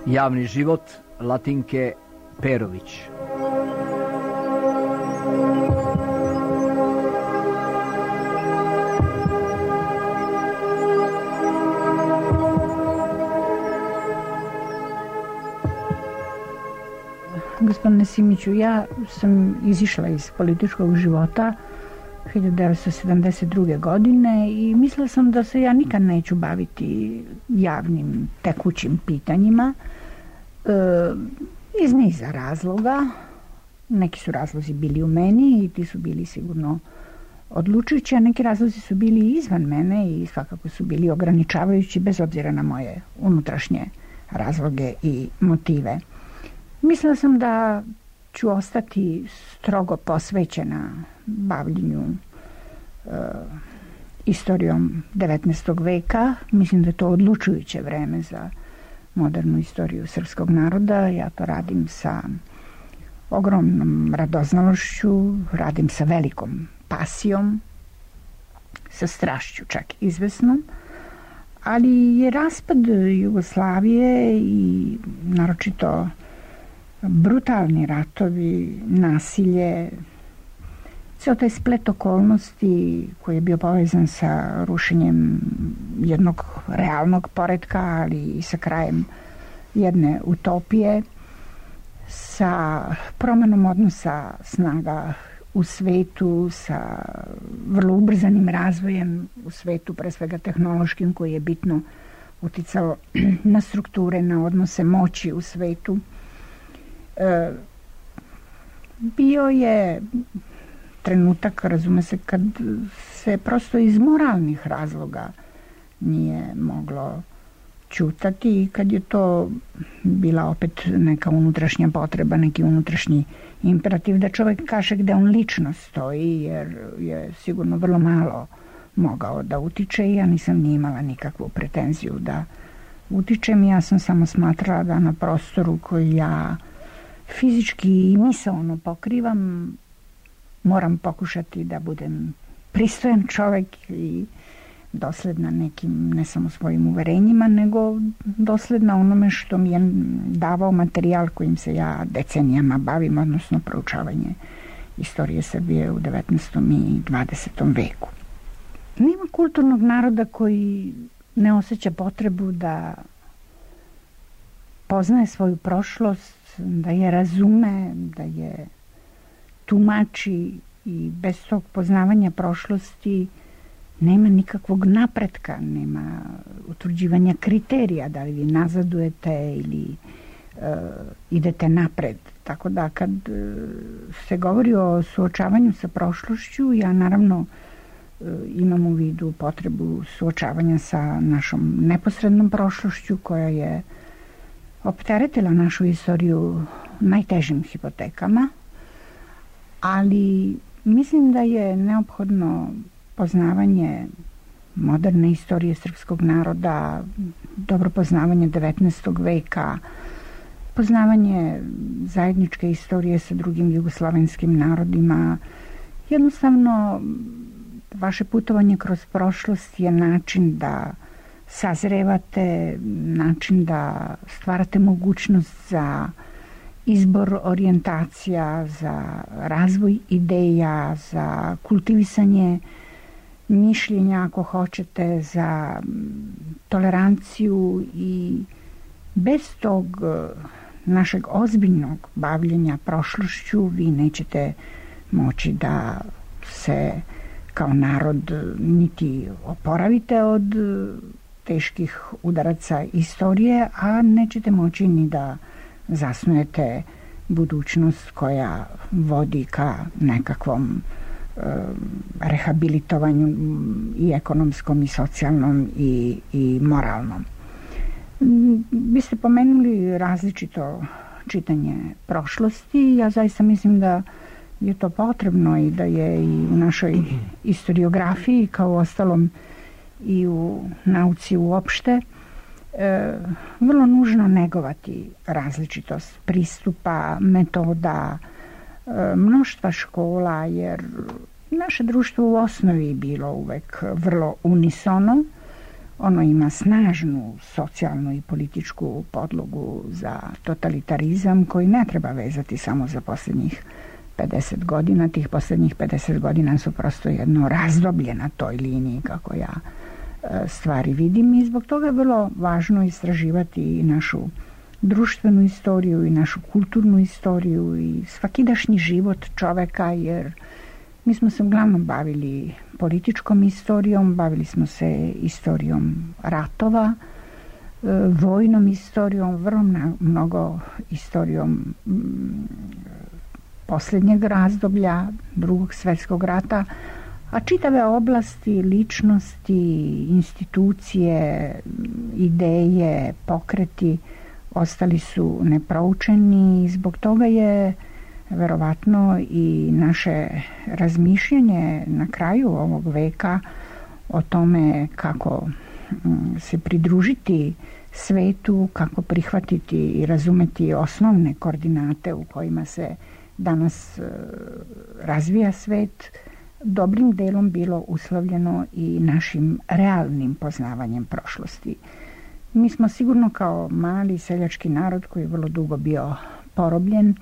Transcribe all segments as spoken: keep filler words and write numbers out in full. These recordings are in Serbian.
Javni život Latinke Perović. Gospodine Simiću, ja sam izišla iz političkog života hiljadu devetsto sedamdeset druge. godine i mislila sam da se ja nikad neću baviti javnim tekućim pitanjima e, iz niza razloga. Neki su razlozi bili u meni i ti su bili sigurno odlučujući, a neki razlozi su bili izvan mene i svakako su bili ograničavajući bez obzira na moje unutrašnje razloge i motive. Mislila sam da ću ostati strogo posvećena bavljenju e, istorijom devetnaestog veka. Mislim da je to odlučujuće vreme za modernu istoriju srpskog naroda. Ja to radim sa ogromnom radoznalošću, radim sa velikom pasijom, sa strašću čak izvesnom, ali je raspad Jugoslavije i naročito brutalni ratovi, nasilje, ceo taj splet okolnosti koji je bio povezan sa rušenjem jednog realnog poretka, ali i sa krajem jedne utopije, sa promenom odnosa snaga u svetu, sa vrlo ubrzanim razvojem u svetu, pre svega tehnološkim, koji je bitno uticao na strukture, na odnose moći u svetu. E, bio je trenutak, razume se, kad se prosto iz moralnih razloga nije moglo ćutati i kad je to bila opet neka unutrašnja potreba, neki unutrašnji imperativ da čovjek kaže gde on lično stoji, jer je sigurno vrlo malo mogao da utiče i ja nisam ni imala nikakvu pretenziju da utičem. Ja sam samo smatrala da na prostoru koji ja fizički i misaono pokrivam moram pokušati da budem pristojan čovjek i dosledna nekim, ne samo svojim uverenjima, nego dosledna onome što mi je davao materijal kojim se ja decenijama bavim, odnosno proučavanje istorije Srbije u devetnaestom i dvadesetom veku. Nema kulturnog naroda koji ne osjeća potrebu da poznaje svoju prošlost, da je razume, da je tumači i bez tog poznavanja prošlosti nema nikakvog napretka, nema utvrđivanja kriterija, da li vi nazadujete ili uh, idete napred. Tako da kad uh, se govori o suočavanju sa prošlošću, ja naravno uh, imam u vidu potrebu suočavanja sa našom neposrednom prošlošću koja je opteretila našu istoriju najtežim hipotekama, ali mislim da je neophodno poznavanje moderne istorije srpskog naroda, dobro poznavanje devetnaestog veka, poznavanje zajedničke istorije sa drugim jugoslovenskim narodima. Jednostavno, vaše putovanje kroz prošlost je način da sazrevate, način da stvarate mogućnost za izbor orijentacija, za razvoj ideja, za kultivisanje mišljenja, ako hoćete, za toleranciju i bez tog našeg ozbiljnog bavljenja prošlošću vi nećete moći da se kao narod niti oporavite od teških udaraca istorije, a nećete moći ni da zasnujete budućnost koja vodi ka nekakvom e, rehabilitovanju i ekonomskom i socijalnom i, i moralnom. Vi ste pomenuli različito čitanje prošlosti. Ja zaista mislim da je to potrebno i da je i u našoj istoriografiji, kao ostalom i u nauci uopšte, e, vrlo nužno negovati različitost pristupa, metoda, e, mnoštva škola, jer naše društvo u osnovi je bilo uvek vrlo unisono Ono ima snažnu socijalnu i političku podlogu za totalitarizam koji ne treba vezati samo za posljednjih pedeset godina. Tih posljednjih pedeset godina su prosto jedno razdoblje na toj liniji kako ja stvari vidim i zbog toga je vrlo važno istraživati i našu društvenu istoriju i našu kulturnu istoriju i svakidašnji život čoveka, jer mi smo se uglavnom bavili političkom istorijom, bavili smo se istorijom ratova, vojnom istorijom, vrlo mnogo istorijom posljednjeg razdoblja Drugog svjetskog rata, a čitave oblasti, ličnosti, institucije, ideje, pokreti ostali su neproučeni i zbog toga je verovatno i naše razmišljanje na kraju ovog veka o tome kako se pridružiti svetu, kako prihvatiti i razumeti osnovne koordinate u kojima se danas razvija svet, dobrim delom bilo uslovljeno i našim realnim poznavanjem prošlosti. Mi smo sigurno kao mali seljački narod koji je vrlo dugo bio porobljen,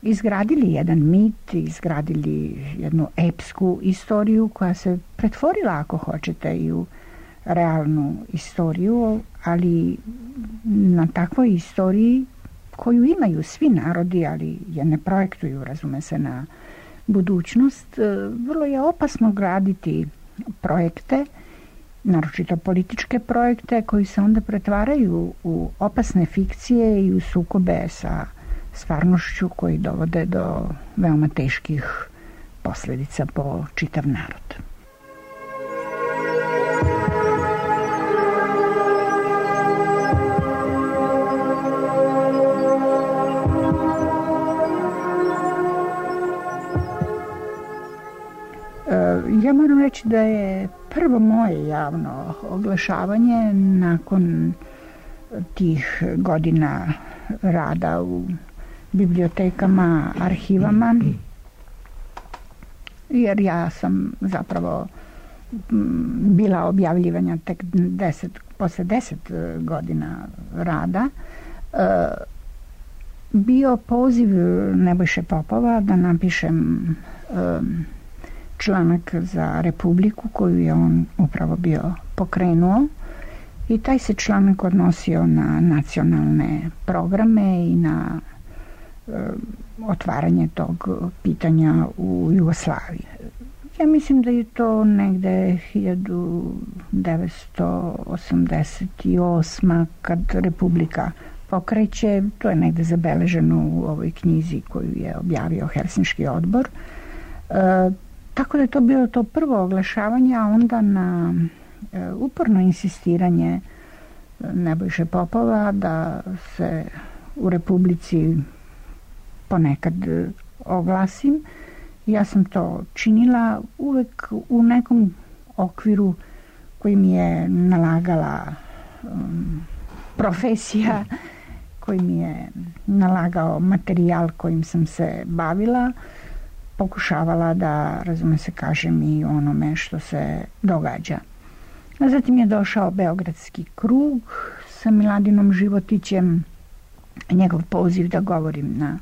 izgradili jedan mit, izgradili jednu epsku istoriju koja se pretvorila, ako hoćete, i u realnu istoriju, ali na takvoj istoriji koju imaju svi narodi, ali je ne projektuju, razume se, na budućnost, vrlo je opasno graditi projekte, naročito političke projekte, koji se onda pretvaraju u opasne fikcije i u sukobe sa stvarnošću koji dovode do veoma teških posljedica po čitav narod. Ja moram reći da je prvo moje javno oglašavanje nakon tih godina rada u bibliotekama, arhivama, jer ja sam zapravo bila objavljivanja tek deset, posle deset godina rada, bio poziv Nebojše Popova da napišem članak za Republiku koju je on upravo bio pokrenuo i taj se članak odnosio na nacionalne programe i na e, otvaranje tog pitanja u Jugoslaviji. Ja mislim da je to negde hiljadu devetsto osamdeset osma kad Republika pokreće, to je negde zabeleženo u ovoj knjizi koju je objavio Helsinški odbor. E, Tako da je to bilo to prvo oglašavanje, a onda na e, uporno insistiranje Nebojše Popova da se u Republici ponekad oglasim. Ja sam to činila uvek u nekom okviru koji mi je nalagala um, profesija, koji mi je nalagao materijal kojim sam se bavila, pokušavala da, razume se, kažem i onome što se događa. A zatim je došao Beogradski krug sa Miladinom Životićem, njegov poziv da govorim na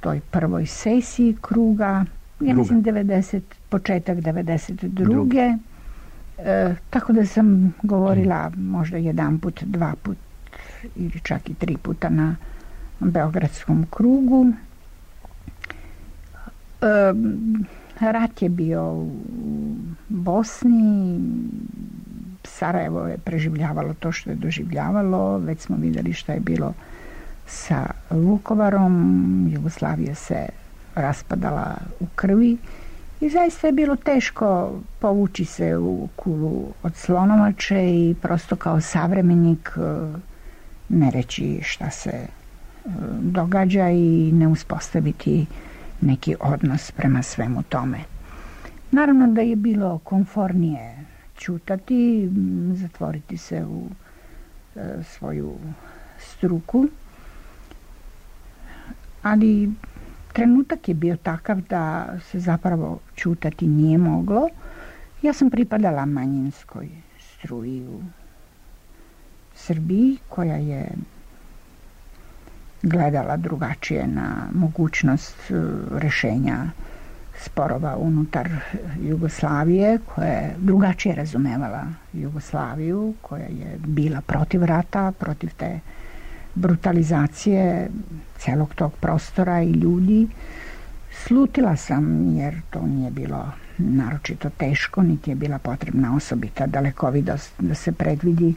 toj prvoj sesiji kruga, ja mislim devedeset, početak devedeset druge. E, tako da sam govorila možda jedan put, dva put ili čak i tri puta na Beogradskom krugu. E, rat je bio u Bosni, Sarajevo je preživljavalo to što je doživljavalo, već smo vidjeli šta je bilo sa Vukovarom, Jugoslavija se raspadala u krvi i zaista je bilo teško povući se u kulu od slonovače i prosto kao savremenik ne reći šta se događa i ne uspostaviti neki odnos prema svemu tome. Naravno da je bilo komfornije ćutati, zatvoriti se u e, svoju struku, ali trenutak je bio takav da se zapravo ćutati nije moglo. Ja sam pripadala manjinskoj sestru i u Srbiji, koja je gledala drugačije na mogućnost rešenja sporova unutar Jugoslavije, koja je drugačije razumevala Jugoslaviju, koja je bila protiv rata, protiv te brutalizacije celog tog prostora i ljudi. Slutila sam, jer to nije bilo naročito teško, niti je bila potrebna osobita dalekovidost da se predvidi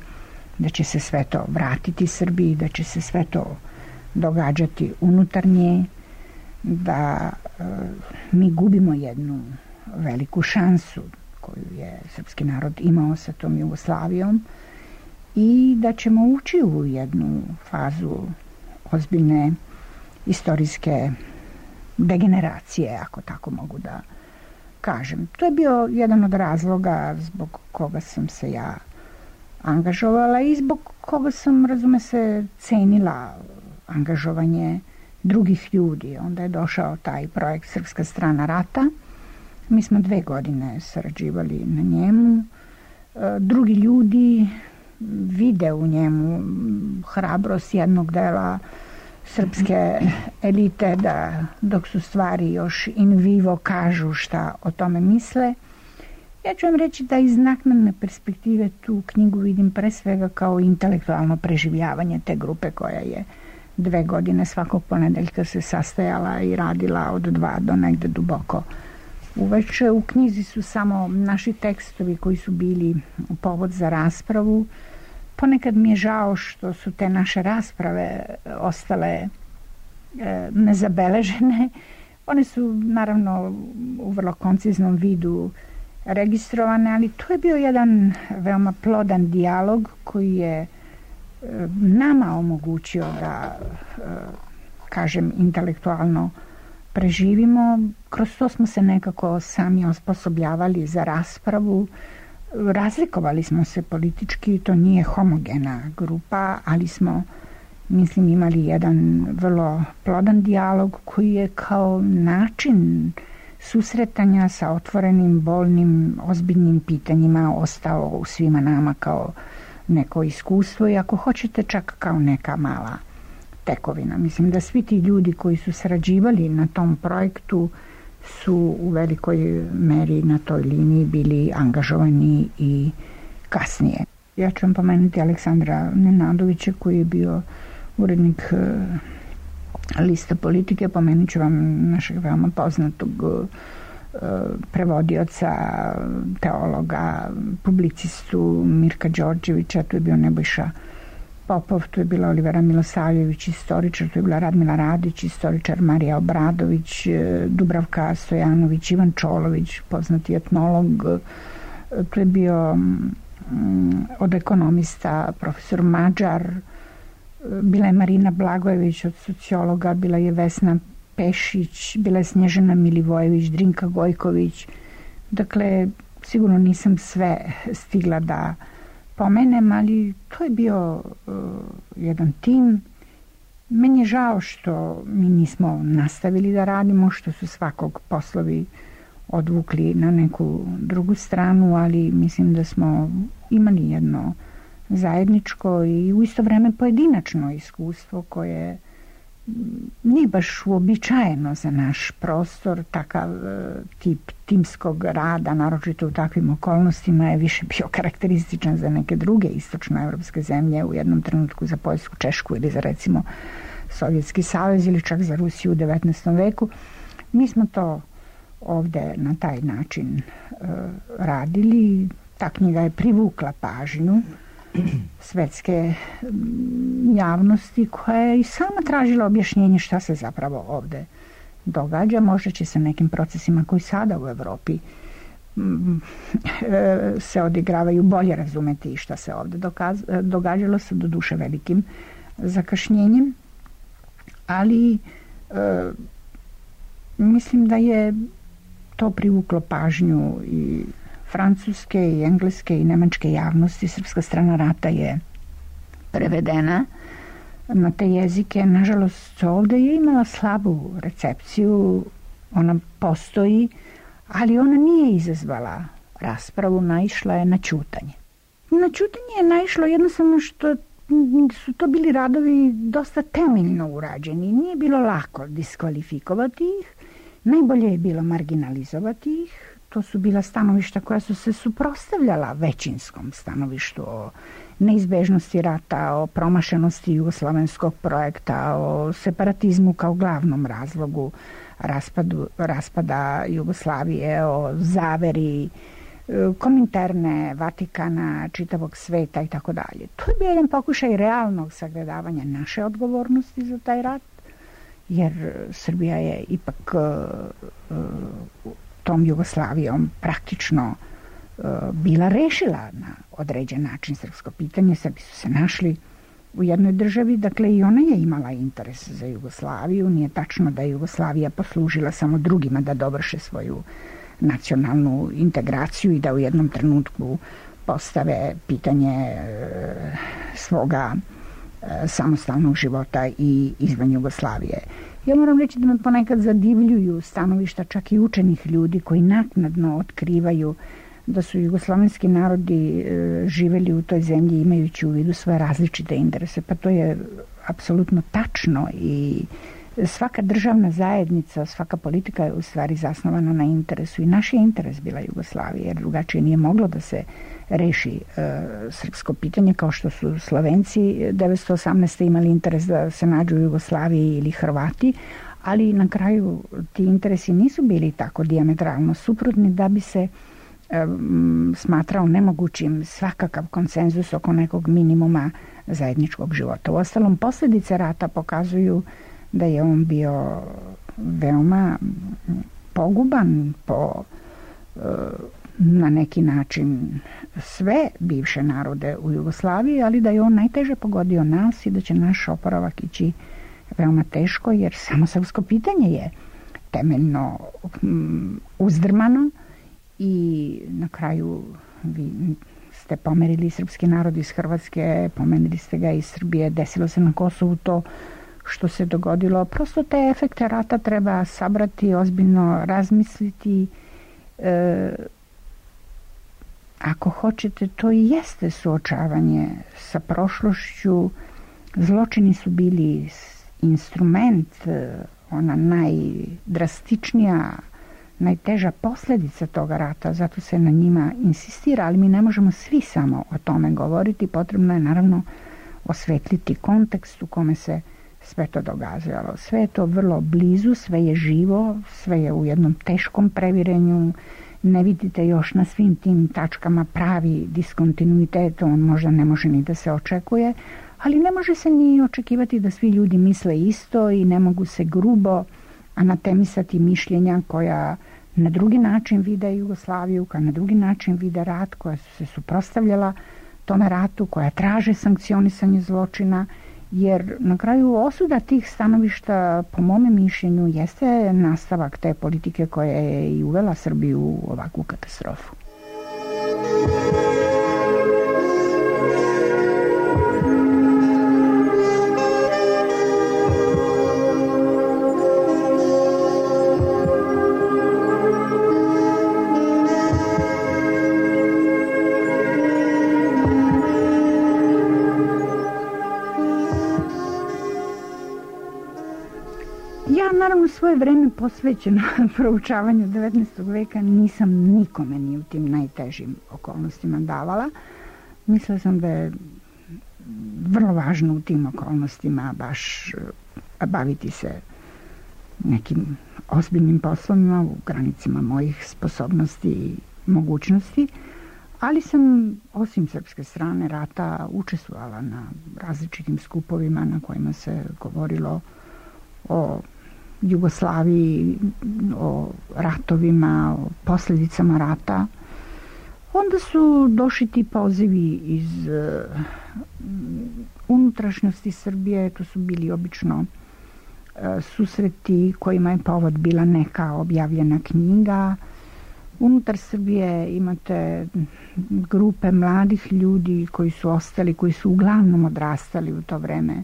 da će se sve to vratiti Srbiji, da će se sve to događati unutar nje, da e, mi gubimo jednu veliku šansu koju je srpski narod imao sa tom Jugoslavijom i da ćemo ući u jednu fazu ozbiljne istorijske degeneracije, ako tako mogu da kažem. To je bio jedan od razloga zbog koga sam se ja angažovala i zbog koga sam, razume se, cenila angažovanje drugih ljudi. Onda je došao taj projekt Srpska strana rata. Mi smo dve godine sarađivali na njemu. Drugi ljudi vide u njemu hrabrost jednog dela srpske elite da, dok su stvari još in vivo, kažu šta o tome misle. Ja ću vam reći da iz naknadne perspektive tu knjigu vidim pre svega kao intelektualno preživljavanje te grupe koja je dve godine svakog ponedeljka se sastajala i radila od dva do negde duboko uveče. U knjizi su samo naši tekstovi koji su bili povod za raspravu. Ponekad mi je žao što su te naše rasprave ostale e, nezabeležene. One su naravno u vrlo konciznom vidu registrovane, ali to je bio jedan veoma plodan dijalog koji je e, nama omogućio da, e, kažem, intelektualno preživimo. Kroz to smo se nekako sami osposobljavali za raspravu. Razlikovali smo se politički, to nije homogena grupa, ali smo, mislim, imali jedan vrlo plodan dijalog koji je kao način susretanja sa otvorenim, bolnim, ozbiljnim pitanjima ostao u svima nama kao neko iskustvo i ako hoćete čak kao neka mala tekovina. Mislim da svi ti ljudi koji su sarađivali na tom projektu su u velikoj meri na toj liniji bili angažovani i kasnije. Ja ću vam pomenuti Aleksandra Nenadovića koji je bio urednik Lista politike, pomenut ću vam našeg veoma poznatog prevodioca, teologa, publicistu Mirka Đorđevića, tu je bio Nebojša Popov, tu je bila Olivera Milosavljević, istoričar, tu je bila Radmila Radić, istoričar, Marija Obradović, Dubravka Stojanović, Ivan Čolović, poznati etnolog, tu je bio od ekonomista profesor Mađar, bila je Marina Blagojević od sociologa, bila je Vesna Pešić, bila je Snježana Milivojević, Drinka Gojković. Dakle, sigurno nisam sve stigla da pomenem, ali to je bio uh, jedan tim. Meni je žao što mi nismo nastavili da radimo, što su svakog poslovi odvukli na neku drugu stranu, ali mislim da smo imali jedno zajedničko i u isto vreme pojedinačno iskustvo koje nije baš uobičajeno za naš prostor. Takav tip timskog rada, naročito u takvim okolnostima, je više bio karakterističan za neke druge istočnoevropske zemlje, u jednom trenutku za Poljsku, Češku ili za recimo Sovjetski savez ili čak za Rusiju u devetnaestom veku. Mi smo to ovde na taj način uh, radili. Ta knjiga je privukla pažnju svetske javnosti koja je i sama tražila objašnjenje šta se zapravo ovde događa. Možda će se nekim procesima koji sada u Evropi se odigravaju bolje razumeti šta se ovde događalo sa doduše velikim zakašnjenjem, ali e, mislim da je to privuklo pažnju i francuske i engleske i nemačke javnosti. Srpska strana rata je prevedena na te jezike. Nažalost, ovde je imala slabu recepciju, ona postoji, ali ona nije izazvala raspravu, naišla je na ćutanje. Na ćutanje je naišlo jednostavno što su to bili radovi dosta temeljno urađeni. Nije bilo lako diskvalifikovati ih, najbolje je bilo marginalizovati ih. To su bila stanovišta koja su se suprotstavljala većinskom stanovištu o neizbežnosti rata, o promašenosti jugoslavenskog projekta, o separatizmu kao glavnom razlogu raspadu, raspada Jugoslavije, o zaveri Kominterne, Vatikana, čitavog sveta i tako dalje. To je bio jedan pokušaj realnog sagledavanja naše odgovornosti za taj rat, jer Srbija je ipak uh, tom Jugoslavijom praktično uh, bila rešila na određen način srpsko pitanje. Srbi su se našli u jednoj državi, dakle i ona je imala interes za Jugoslaviju. Nije tačno da je Jugoslavija poslužila samo drugima da dovrše svoju nacionalnu integraciju i da u jednom trenutku postave pitanje e, svoga e, samostalnog života i izvan Jugoslavije. Ja moram reći da me ponekad zadivljuju stanovišta čak i učenih ljudi koji naknadno otkrivaju da su jugoslavenski narodi e, živeli u toj zemlji imajući u vidu svoje različite interese. Pa to je apsolutno tačno i svaka državna zajednica, svaka politika je u stvari zasnovana na interesu i naš je interes bila Jugoslavija, jer drugačije nije moglo da se reši e, srpsko pitanje, kao što su Slovenci devetsto osamnaeste imali interes da se nađu u Jugoslaviji ili Hrvati, ali na kraju ti interesi nisu bili tako dijametralno suprotni da bi se e, smatrao nemogućim svakakav konsenzus oko nekog minimuma zajedničkog života. Uostalom, posljedice rata pokazuju da je on bio veoma poguban po na neki način sve bivše narode u Jugoslaviji, ali da je on najteže pogodio nas i da će naš oporavak ići veoma teško, jer samo srpsko pitanje je temeljno uzdrmano i na kraju vi ste pomerili srpski narod iz Hrvatske, pomerili ste ga iz Srbije, desilo se na Kosovu to što se dogodilo. Prosto te efekte rata treba sabrati, ozbiljno razmisliti. E, ako hoćete, to i jeste suočavanje sa prošlošću. Zločini su bili instrument, ona najdrastičnija, najteža posljedica toga rata, zato se na njima insistira, ali mi ne možemo svi samo o tome govoriti. Potrebno je naravno osvetliti kontekst u kome se sve to događalo. Sve je to vrlo blizu, sve je živo, sve je u jednom teškom previrenju. Ne vidite još na svim tim tačkama pravi diskontinuitet, on možda ne može ni da se očekuje, ali ne može se ni očekivati da svi ljudi misle isto i ne mogu se grubo anatemisati mišljenja koja na drugi način vide Jugoslaviju, koja na drugi način vide rat, koja su se suprotstavljala tome ratu, koja traže sankcionisanje zločina, jer na kraju osuda tih stanovišta, po mome mišljenju, jeste nastavak te politike koja je i uvela Srbiju u ovakvu katastrofu. Naravno, svoje vreme posvećeno proučavanju devetnaestog veka nisam nikome ni u tim najtežim okolnostima davala. Mislila sam da je vrlo važno u tim okolnostima baš baviti se nekim ozbiljnim poslovima u granicama mojih sposobnosti i mogućnosti, ali sam osim srpske strane rata učestvovala na različitim skupovima na kojima se govorilo o Jugoslaviji, o ratovima, o posljedicama rata. Onda su došli ti pozivi iz uh, unutrašnjosti Srbije, to su bili obično uh, susreti kojima je povod bila neka objavljena knjiga. Unutar Srbije imate grupe mladih ljudi koji su ostali, koji su uglavnom odrastali u to vreme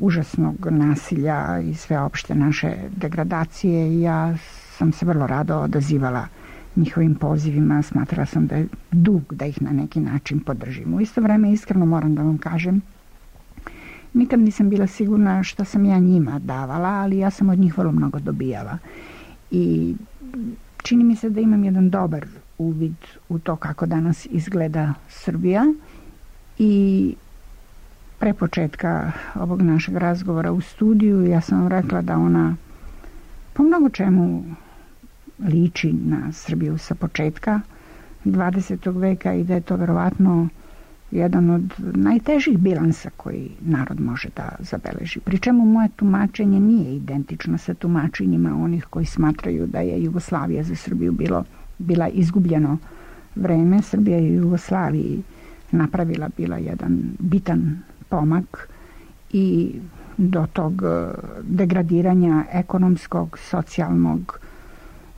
užasnog nasilja i sveopšte naše degradacije, i ja sam se vrlo rado odazivala njihovim pozivima, smatrala sam da je dug da ih na neki način podržim. U isto vreme iskreno moram da vam kažem, nikad nisam bila sigurna šta sam ja njima davala, ali ja sam od njih vrlo mnogo dobijala. I čini mi se da imam jedan dobar uvid u to kako danas izgleda Srbija i pre početka ovog našeg razgovora u studiju ja sam vam rekla da ona po mnogo čemu liči na Srbiju sa početka dvadesetog veka i da je to verovatno jedan od najtežih bilansa koji narod može da zabeleži. Pri čemu moje tumačenje nije identično sa tumačenjima onih koji smatraju da je Jugoslavija za Srbiju bilo, bila izgubljeno vreme. Srbija je u Jugoslaviji napravila bila jedan bitan pomak i do tog degradiranja ekonomskog, socijalnog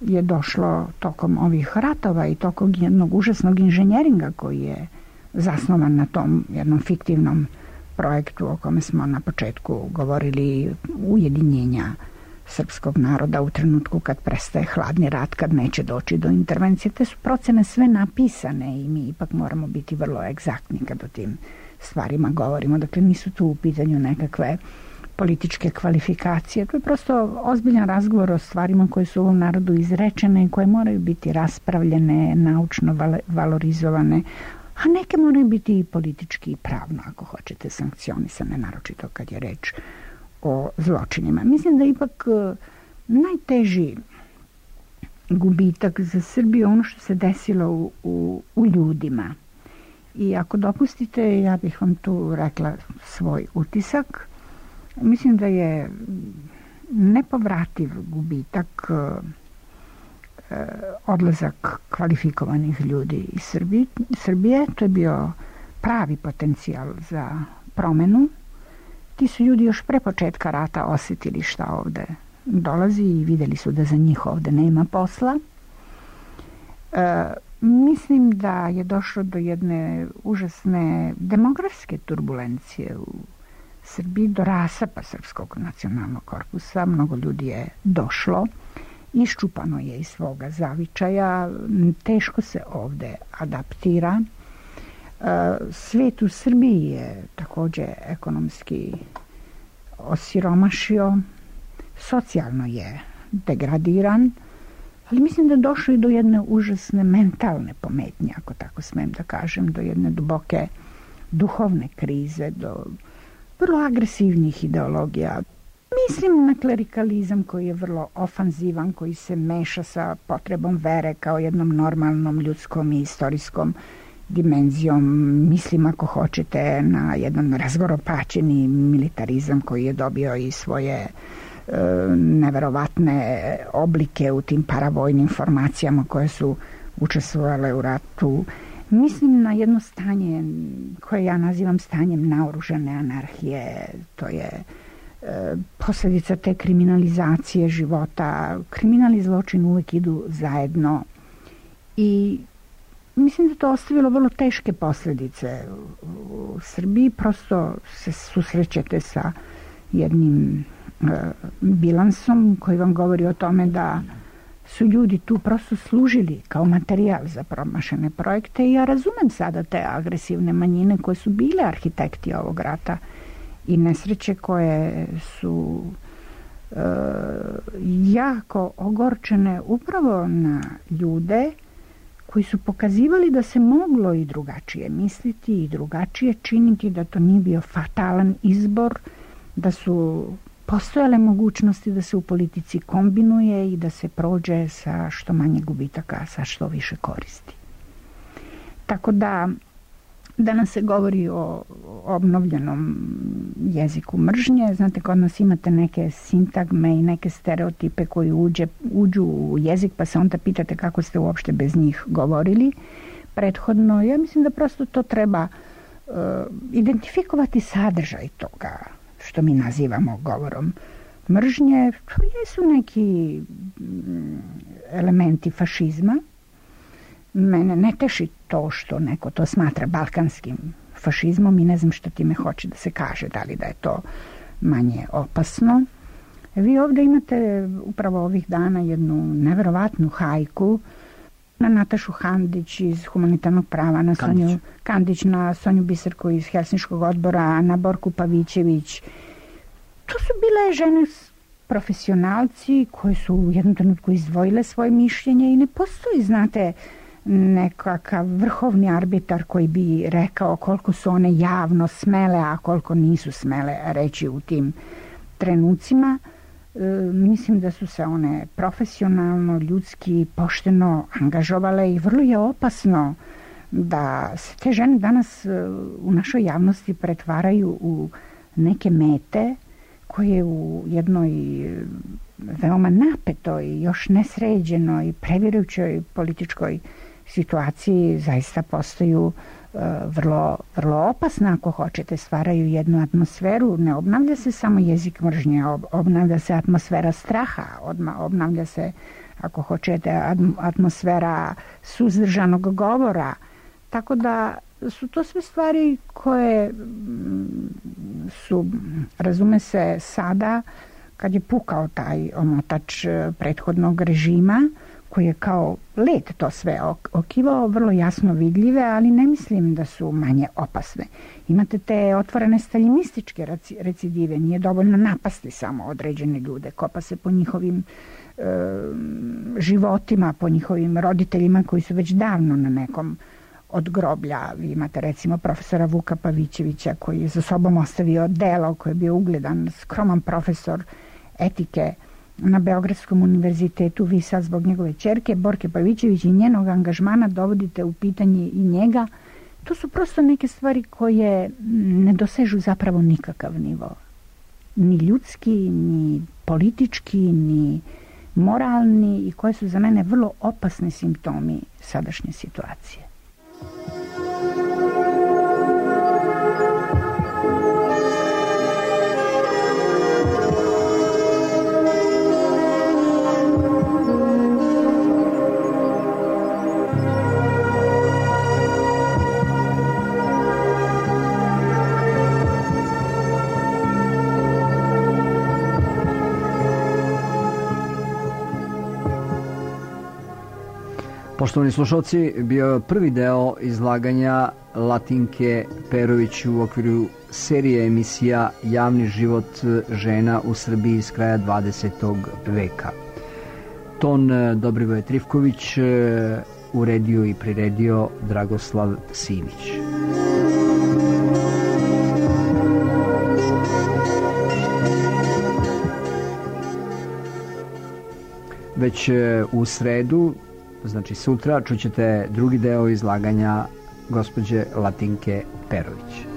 je došlo tokom ovih ratova i tokom jednog užasnog inženjeringa koji je zasnovan na tom jednom fiktivnom projektu o kome smo na početku govorili, ujedinjenja srpskog naroda u trenutku kad prestaje hladni rat, kad neće doći do intervencije. Te su procene sve napisane i mi ipak moramo biti vrlo egzaktni kad o tim stvarima govorimo. Dakle, nisu tu u pitanju nekakve političke kvalifikacije. To je prosto ozbiljan razgovor o stvarima koje su u ovom narodu izrečene i koje moraju biti raspravljene, naučno valorizovane, a neke moraju biti i politički i pravno, ako hoćete, sankcionisane, naročito kad je reč o zločinima. Mislim da ipak najteži gubitak za Srbiju ono što se desilo u, u, u ljudima. I ako dopustite, ja bih vam tu rekla svoj utisak. Mislim da je nepovrativ gubitak odlazak kvalifikovanih ljudi iz Srbije. Srbije. To je bio pravi potencijal za promenu. Ti su ljudi još pre početka rata osjetili šta ovde dolazi i videli su da za njih ovde nema posla. E, mislim da je došlo do jedne užasne demografske turbulencije u Srbiji, do rasapa Srpskog nacionalnog korpusa. Mnogo ljudi je došlo, iščupano je iz svoga zavičaja, teško se ovde adaptira. Svet u Srbiji je takođe ekonomski osiromašio, socijalno je degradiran, ali mislim da je došlo i do jedne užasne mentalne pometnje, ako tako smem da kažem, do jedne duboke duhovne krize, do vrlo agresivnih ideologija. Mislim na klerikalizam koji je vrlo ofanzivan, koji se meša sa potrebom vere kao jednom normalnom ljudskom i istorijskom dimenzijom. Mislim, ako hoćete, na jedan razgoropačeni militarizam koji je dobio i svoje e, neverovatne oblike u tim paravojnim formacijama koje su učestvovale u ratu. Mislim na jedno stanje koje ja nazivam stanjem naoružane anarhije. To je e, posljedica te kriminalizacije života. Kriminal i zločin uvek idu zajedno i mislim da to ostavilo vrlo teške posljedice u Srbiji. Prosto se susrećete sa jednim e, bilansom koji vam govori o tome da su ljudi tu prosto služili kao materijal za promašene projekte i ja razumem sada te agresivne manjine koje su bile arhitekti ovog rata i nesreće koje su e, jako ogorčene upravo na ljude koji su pokazivali da se moglo i drugačije misliti i drugačije činiti, da to nije bio fatalan izbor, da su postojale mogućnosti da se u politici kombinuje i da se prođe sa što manje gubitaka, sa što više koristi. Tako da danas se govori o obnovljenom jeziku mržnje. Znate, kod nas imate neke sintagme i neke stereotipe koji uđe, uđu u jezik, pa se onda pitate kako ste uopšte bez njih govorili prethodno. Ja mislim da prosto to treba uh, identifikovati sadržaj toga što mi nazivamo govorom mržnje. To jesu neki elementi fašizma. Mene ne teši to što neko to smatra balkanskim fašizmom i ne znam što time hoće da se kaže, da li da je to manje opasno. Vi ovdje imate upravo ovih dana jednu neverovatnu hajku na Natašu Handić iz humanitarnog prava, na Kandić. Sonju Kandić, na Sonju Biserku iz Helsinškog odbora, na Borku Pavićević. To su bile žene profesionalci koji su u jednom trenutku izdvojile svoje mišljenje i ne postoji, znate, nekakav vrhovni arbitar koji bi rekao koliko su one javno smele, a koliko nisu smele reći u tim trenucima. E, mislim da su se one profesionalno, ljudski, pošteno angažovale i vrlo je opasno da se te žene danas u našoj javnosti pretvaraju u neke mete koje u jednoj veoma napetoj, još nesređenoj, previrujućoj političkoj situaciji zaista postaju uh, vrlo, vrlo opasna, ako hoćete, stvaraju jednu atmosferu. Ne obnavlja se samo jezik mržnje, ob, obnavlja se atmosfera straha, odma, obnavlja se, ako hoćete, atmosfera suzdržanog govora. Tako da su to sve stvari koje su, razume se, sada, kad je pukao taj omotač prethodnog režima, koji je kao led to sve okivao, vrlo jasno vidljive, ali ne mislim da su manje opasne. Imate te otvorene staljinističke recidive, nije dovoljno napasti samo određene ljude, kopa se po njihovim e, životima, po njihovim roditeljima koji su već davno na nekom od groblja. Vi imate recimo profesora Vuka Pavićevića koji je za sobom ostavio delo, koji je bio ugledan, skroman profesor etike na Beogradskom univerzitetu. Vi sad zbog njegove ćerke Borke Pavićević i njenog angažmana dovodite u pitanje i njega. To su prosto neke stvari koje ne dosežu zapravo nikakav nivo. Ni ljudski, ni politički, ni moralni, i koje su za mene vrlo opasni simptomi sadašnje situacije. Poštovani slušalci, bio je prvi deo izlaganja Latinke Perović u okviru serije emisija Javni život žena u Srbiji iz kraja dvadesetog veka. Ton Dobrivoje Trifković, uredio i priredio Dragoslav Simić. Već u sredu, znači sutra, čućete drugi deo izlaganja gospođe Latinke Perović.